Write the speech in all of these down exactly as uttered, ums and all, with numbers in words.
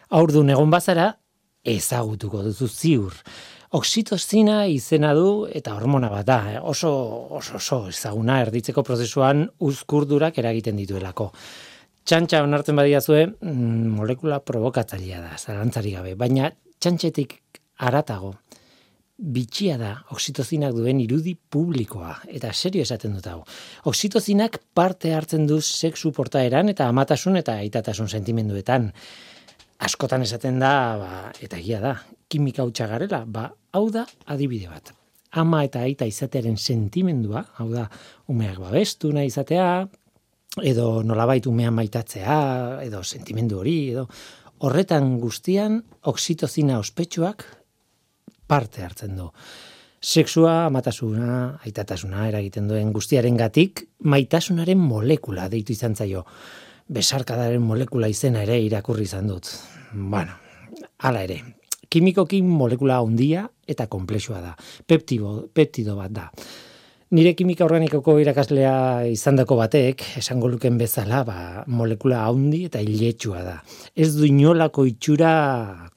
Haurdun egon bazara, ezagutuko duzu ziur. Oxitozina izena du eta hormona bat da, oso, oso, oso ezaguna erditzeko prozesuan uzkurdurak eragiten dituelako. Txantxa onartzen badiazue, molekula provokatzailea da, zalantzari gabe, baina txantxetik haratago, bitxia da oxitozinak duen irudi publikoa, eta serio esaten dut hau. Oxitozinak parte hartzen du sexu portaeran eta amatasun eta aitatasun sentimenduetan. Askotan esaten da, ba, eta egia da, kimika hutsa garela, ba, hau da adibide bat. Ama eta aita izatearen sentimendua, hau da, umeak babestu nahi izatea, edo nolabait umea maitatzea, edo sentimendu hori, edo horretan guztian oxitozina ospetsuak parte hartzen du. Sexua, amatasuna, aitatasuna eragiten duen guztiarengatik maitasunaren molekula deitu izan zaio. Besarkadaren molekula izena ere irakurri izan dut. Bueno, hala ere, kimikoki molekula handia eta konplexua da. Peptido, peptido bat da. Nire kimika organikoko irakaslea izandako batek, esango luken bezala, ba, molekula handi eta iletsua da. Ez du inolako itxura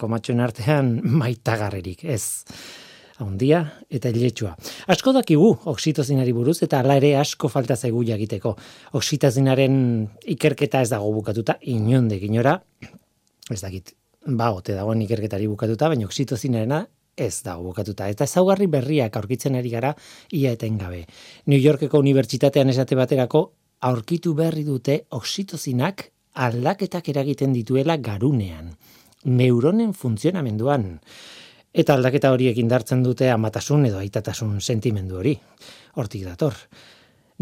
komatxoen artean maitagarrerik, ez. Handia eta iletsua. Asko dakigu oxitozinari buruz eta hala ere asko falta zaigu jakiteko. Oxitozinaren ikerketa ez dago bukatuta, inondik inora, ez dakit, ba, ote dagoen ikerketari bukatuta, baina oxitozinarena ez dago bukatuta. Eta ezaugarri berriak aurkitzen ari gara ia etengabe. New Yorkeko unibertsitatean esate baterako aurkitu berri dute oxitozinak aldaketak eragiten dituela garunean, neuronen funtzionamenduan. Eta aldaketa horiek indartzen dute amatasun edo aitatasun sentimendu hori. Hortik dator.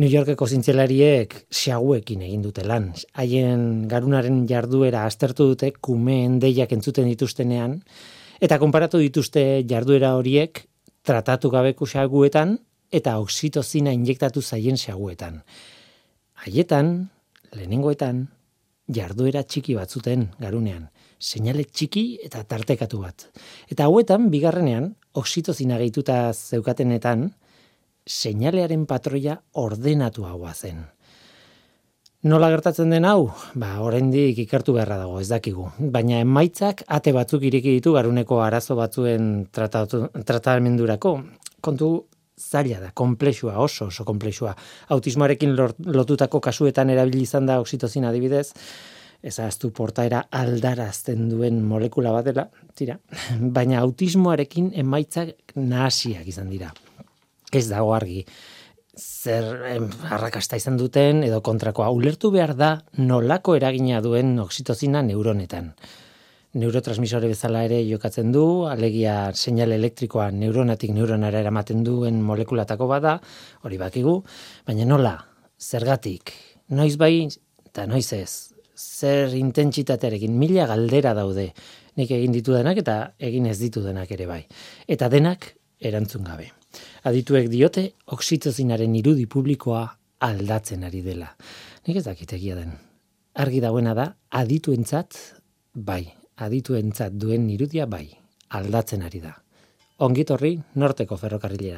New Yorkeko zientzialariek xaguekin egin dute lan. Haien garunaren jarduera aztertu dute kumeen deiak entzuten dituztenean, eta konparatu dituzte jarduera horiek tratatu gabeko xaguetan eta oxitozina injektatu zaien xaguetan. Haietan, lehenengoetan, jarduera txiki batzuten garunean. Seinale txiki eta tartekatu bat. Eta hauetan, bigarrenean, oxitozina gehituta zeukatenetan, seinalearen patroia ordenatuagoa zen. Nola gertatzen den hau? Ba, oraindik ikertu beharra dago, ez dakigu. Baina emaitzak ate batzuk ireki ditu garuneko arazo batzuen tratatu, tratamendurako. Kontu zaila da, konplexua, oso oso konplexua. Autismoarekin lotutako kasuetan erabili izan da oxitozina adibidez, ezaztu portaera aldarazten duen molekula bat dela, tira, baina autismoarekin emaitzak nahasiak izan dira. Ez dago argi, zer em, arrakasta izan duten edo kontrakoa. Ulertu behar da nolako eragina duen oxitozina neuronetan. Neurotransmisore bezala ere jokatzen du, alegia seinale elektrikoa neuronatik neuronara eramaten duen molekulatako bada, hori bakigu, baina nola, zergatik, noiz bai eta noiz ez. Zer intentsitatearekin, mila galdera daude, nik egin ditudanak eta egin ez ditudanak ere bai. Eta denak erantzun gabe. Adituek diote oxitozinaren irudi publikoa aldatzen ari dela. Nik ez dakit egia den. Argi dagoena da, adituentzat bai, adituentzat duen irudia bai, aldatzen ari da. Ongitorri Norteko Ferrokarrilera.